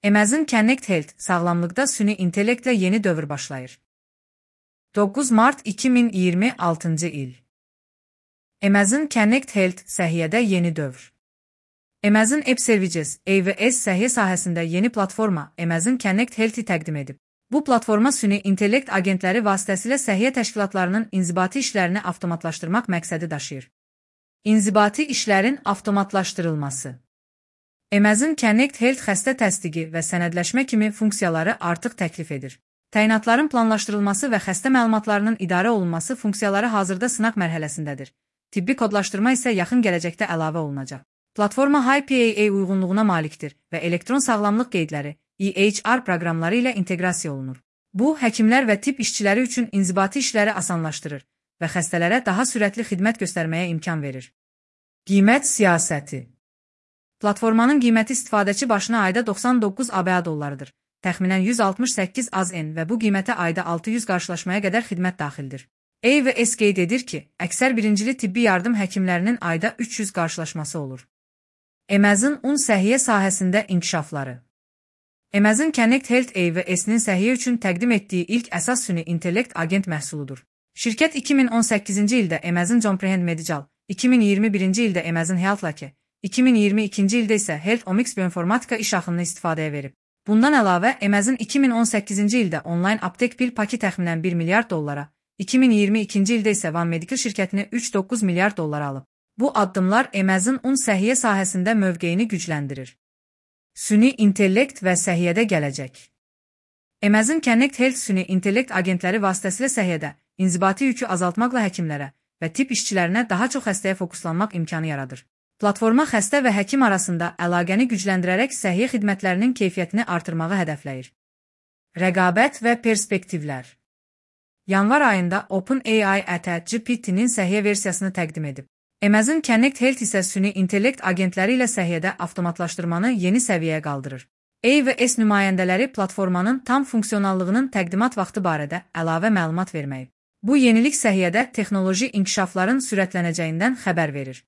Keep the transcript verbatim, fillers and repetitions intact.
Amazon Connect Health sağlamlıqda süni intellektlə yeni dövr başlayır. doqquz mart iki min iyirmi altıncı il. Amazon Connect Health səhiyyədə yeni dövr. Amazon App Services A W S səhiyyə sahəsində yeni platforma Amazon Connect Health-i təqdim edib. Bu platforma süni intellekt agentləri vasitəsilə səhiyyə təşkilatlarının inzibati işlərini avtomatlaşdırmaq məqsədi daşıyır. İnzibati işlərin avtomatlaşdırılması. Amazon Connect Health xəstə təsdiqi və sənədləşmə kimi funksiyaları artıq təklif edir. Təyinatların planlaşdırılması və xəstə məlumatlarının idarə olunması funksiyaları hazırda sınaq mərhələsindədir. Tibbi kodlaşdırma isə yaxın gələcəkdə əlavə olunacaq. Platforma H I P A A uyğunluğuna malikdir və elektron sağlamlıq qeydləri E H R proqramları ilə inteqrasiya olunur. Bu, həkimlər və tibb işçiləri üçün inzibati işləri asanlaşdırır və xəstələrə daha sürətli xidmət göstərməyə imkan verir. Qiymət siyasəti. Platformanın qiyməti istifadəçi başına ayda doxsan doqquz ABŞ dollarıdır. Təxminən yüz altmış səkkiz A Z N və bu qiymətə ayda altı yüz qarşılaşmaya qədər xidmət daxildir. A W S qeyd edir ki, əksər birincili tibbi yardım həkimlərinin ayda üç yüz qarşılaşması olur. Amazon un səhiyyə sahəsində inkişafları. Amazon Connect Health A W S-nin səhiyyə üçün təqdim etdiyi ilk əsas süni intellekt agent məhsuludur. Şirkət iki min on səkkizinci ildə Amazon Comprehend Medical, iki min iyirmi birinci ildə Amazon HealthLake, iki min iyirmi ikinci ildə isə Health Omics bioinformatika iş axınını istifadəyə verib. Bundan əlavə, Amazon iki min on səkkizinci ildə onlayn aptek pil paki təxminən bir milyard dollara, iki min iyirmi ikinci ildə isə One Medical şirkətini üç nöqtə doqquz milyard dollara alıb. Bu addımlar Amazon un səhiyyə sahəsində mövqeyini gücləndirir. Süni intellekt və səhiyyədə gələcək. Amazon Connect Health süni intellekt agentləri vasitəsilə səhiyyədə inzibati yükü azaltmaqla həkimlərə və tibb işçilərinə daha çox xəstəyə fokuslanmaq imkanı yaradır. Platforma xəstə və həkim arasında əlaqəni gücləndirərək səhiyyə xidmətlərinin keyfiyyətini artırmağı hədəfləyir. Rəqabət və perspektivlər. Yanvar ayında OpenAI ətə G P T-nin səhiyyə versiyasını təqdim edib. Amazon Connect Health isə süni intellekt agentləri ilə səhiyyədə avtomatlaşdırmanı yeni səviyyəyə qaldırır. A W S nümayəndələri platformanın tam funksionallığının təqdimat vaxtı barədə əlavə məlumat verməyib. Bu yenilik səhiyyədə texnoloji inkişafların sürətlənəcəyindən xəbər verir.